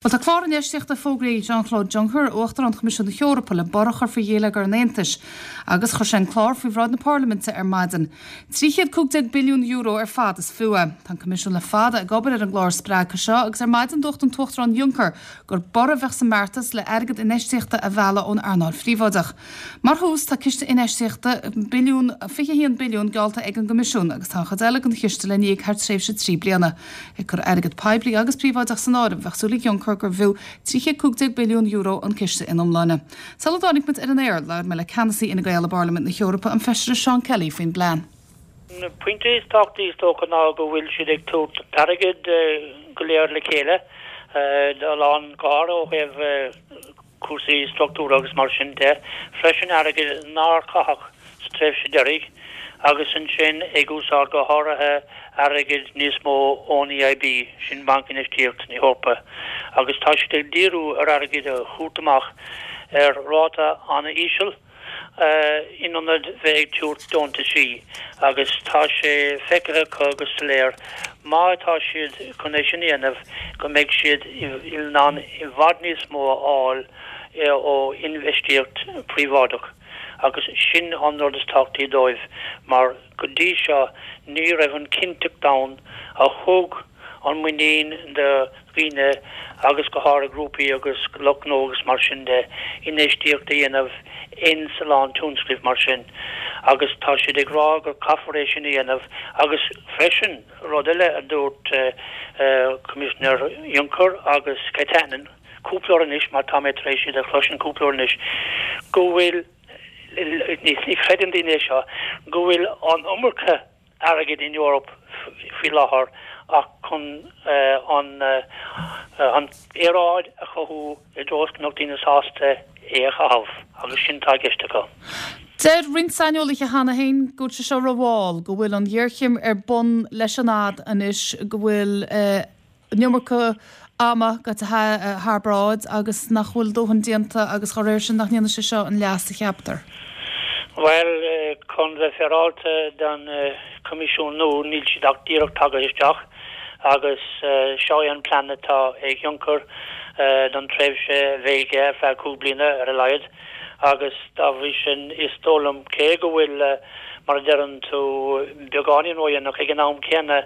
Bhuel, tá clár infheistíochta fógraithe ag Jean-Claude Juncker, Uachtarán Choimisiún na hEorpa, le borradh a chur faoi gheilleagar an Aontais agus chuir sé an clár faoi bhráid na Parlaiminte ar maidin. €315 billiún ar fad is fiú é. Tá an Coimisiún le fada ag obair ar an gclár spreagtha seo agus ar maidin dúirt an tUachtarán Juncker gur borradh a bheadh sa mbeartas le airgead infheistíochta a mhealladh ón earnáil phríobháideach. Mar thús, tá ciste infheistíochta billiún, 21 billiún geallta ag an gCoimisiún agus tá an chuid eile den chiste le n-íoc thar tréimhse 3 bliana. Ag cur airgead poiblí agus príobháideach san áireamh, bheadh súil ag Juncker gurbh fhiú €315 billiún an ciste ina iomláine. Sula dtáinig muid ar an aer, labhair mé le ceannasaí Fhine Gael i bParlaimint na hEorpa, an Feisire Seán Kelly, faoin bplean. An pointe is tábhachtaí is dócha ná go bhfuil siad ag tabhairt an t-airgead go léir le chéile, a lán go háirithe ó thaobh cúrsaí struchtúrtha agus mar sin de, freisin airgead nár caitheadh sa tréimhse deiridh, agus ansin ag úsáid go háirithe airgead níos mó ón EIB, sin Banc Infheistíochta na hEorpa, agus tá siad ag díriú ar airgead a thabhairt amach ar ráta an-íseal. in ionad bheith ag tabhairt deontaisí agus tá sé feicthe acu go soiléir má tá siad chun é sin a dhéanamh go mbeidh siad in ann i bhfad níos mó a fháil ó infheistíocht phríobháideach agus sin an rud is tábhachtaí dóibh mar go dtí seo ní raibh an chinnteacht ann a thug an muinín do dhaoine agus go háirithe grúpaí agus lucht gnó agus mar sin de, infheistíocht a dhéanamh ins a lán tionscnaimh mar sin agus tá siad ag rá gur caithfear é sin a dhéanamh agus freisin rud eile a dúirt Coimisinéir Juncker agus Katainen cúpla uair anois mar tá mé tar éis iad a chloisint cúpla uair anois go bhfuil ní chreideann daoine é seo go bhfuil an iomarca airgid in Eoraip faoi láthair ach chun an aeráid a chothú i dtreo is go mbeadh daoine sásta é a chaitheamh agus sin atá i gceist acu. Deir roinnt saineolaithe cheana féin go bhfuil sé seo rómhall, go bhfuil an ghéarchéim ar bun leis an fhad anois, go bhfuil an iomarca ama gaite thar bráid agus nach bhfuil dóthain déanta agus dá réir sin nach ndéanfaidh sé seo an leas a cheaptar. Bhuel, chun bheith féaráilte don Choimisiún nua, níl siad ach díreach tagtha isteach agus seo é an plean atá ag Juncker don tréimhse a bheidh aige ar feadh 5 bliana ar a laghad. agus dá bhrí sin is dóigh liom, cé go bhfuil, mar a deireann tú, beagáinín ródhéanach, ag an am céanna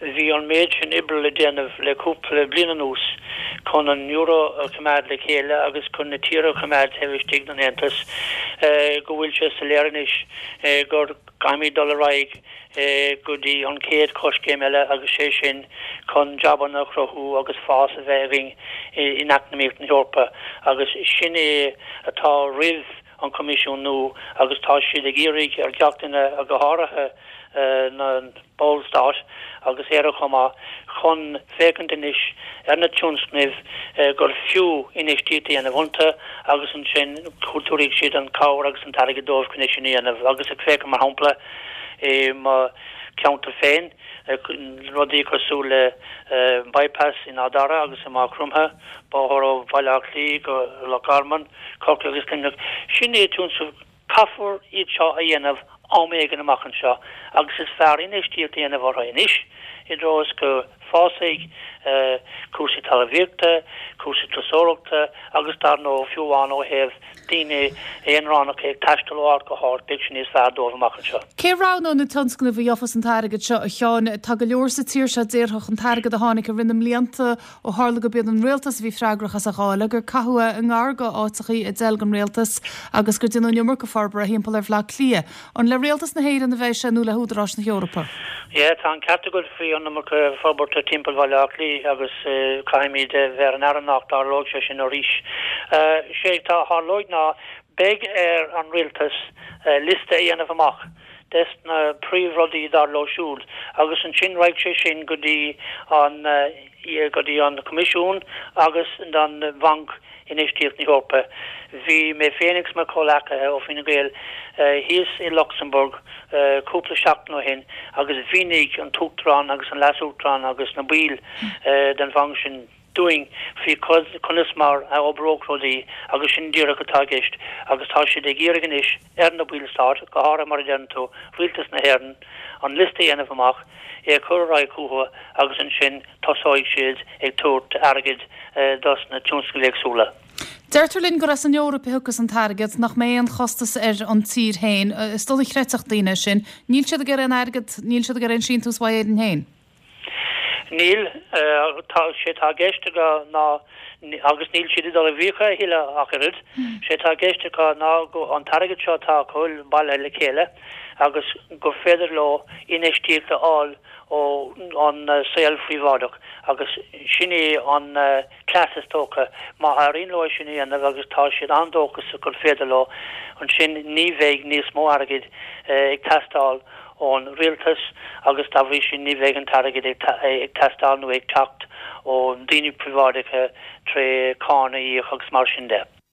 bhí an méid sin oibre le déanamh le cúpla bliain anuas chun an euro a choimeád le chéile agus chun na tíortha a choimeád taobh istigh den Aontas, go bhfuil sé soiléir anois gur caithfimid dul ar aghaidh go dtí an chéad choiscéim eile agus sé sin chun jabanna a chruthú agus fás a bheith againn in eacnamaíocht na hEorpa agus sin é atá roimh an Coimisiún nua agus tá siad ag iarraidh ar gach duine, go háirithe na Ballstáit agus Éire chomh maith, chun féachaint anois ar na tionscnaimh gur fiú infheistíocht a dhéanamh iontu agus ansin tabharfaidh siad an chabhair agus an t-airgead dóibh chun é sin a dhéanamh agus ag féachaint mar shampla i mo cheantar féin, rudaí cosúil le bypass in Áth Dara agus i Maigh Chromtha, bóthar ó Bhaile Átha Cliath go Loch Garman, Corcaigh agus Luimneach. Sin é tionscnaimh, caithfear iad seo a dhéanamh am éigin amach anseo agus is fearr infheistíocht a dhéanamh orthu anois i dtreo is go fásfaidh cúrsaí talmhaíochta, cúrsaí turasóireachta agus dar ndóigh fiú amháin ó thaobh daoine aonránacha ag taisteal ó áit go háit, beidh sé níos fearr dóibh amach anseo. Cé a roghnóidh na tionscnaimh a gheofas an t-airgead seo, a Sheáin? Tá go leor sa tír seo a déarfadh an t-airgead a tháinig i rith na mblianta ó tharla go b'iad an rialtas a bhí freagrach as a dháileadh, gur caitheadh é i ngar do áiteachaí a d'fheil don rialtas agus gur déanadh an iomarca forbartha thimpeall ar Bhaile Átha Cliath. An le rialtas na hÉireann a bheidh sé nó le húdaráis na hEorpa? Yeah, tá an ceart agat faoi an iomarca forbartha timpeall Bhaile Átha Cliath agus caithfimid a bheith ar an aire nach dtarlóidh sé sin arís. Sé atá a tharlóidh ná beidh ar an rialtas liosta a dhéanamh amach des na príomhrudaí dar leo siúd agus ansin raghaidh sé sin go dtí an go dtí an Coimisiún agus don Bhanc Infheistíocht na hEorpa. Bhí mé féin agus mo chomhleacaithe ó Fine Gael thíos i Lucsamburg cúpla seachtain ó shin agus mhínigh an tUachtarán agus an Leas-Uachtarán agus na baill den bhanc sin. dúinn faoi conas mar a oibreodh rudaí agus sin díreach atá i gceist agus tá siad ag iarraidh anois ar na Ballstáit, go háirithe mar a deireann tú, Rialtas na hÉireann, an liosta a dhéanamh amach, é a chur ar aghaidh chucu agus ansin tosóidh siad ag tabhairt airgid dos na tionscnaimh éagsúla. Deirtear linn gur as an Eoraip a thiocfas an t-airgead, nach mbeidh aon chostas ar an tír féin. Is dóigh a chreidfeadh daoine é sin. Níl siad ag iarraidh aon airgead, níl siad ag iarraidh aon síntiús uaidh Éirinn féin. Níl. Tá, sé atá i gceist acu ná, agus níl siad ag dul i bhfiacha a thuilleadh ach oiread, sé atá i gceist acu ná go, an t-airgead seo atá acu bailithe le chéile agus gur féidir leo infheistíocht a fháil ó an saol phríobháideach agus sin é an cleas is dócha. Má éiríonn leo é sin a dhéanamh, agus tá siad an-dóchasach gur féidir leo, ansin ní bheidh níos mó airgid ag teastáil ón rialtas agus dá bhrí sin ní bheidh an t-airgead ag teastáil nó ag teacht ó daoine príobháideacha tré cáin a íoc agus mar sin de.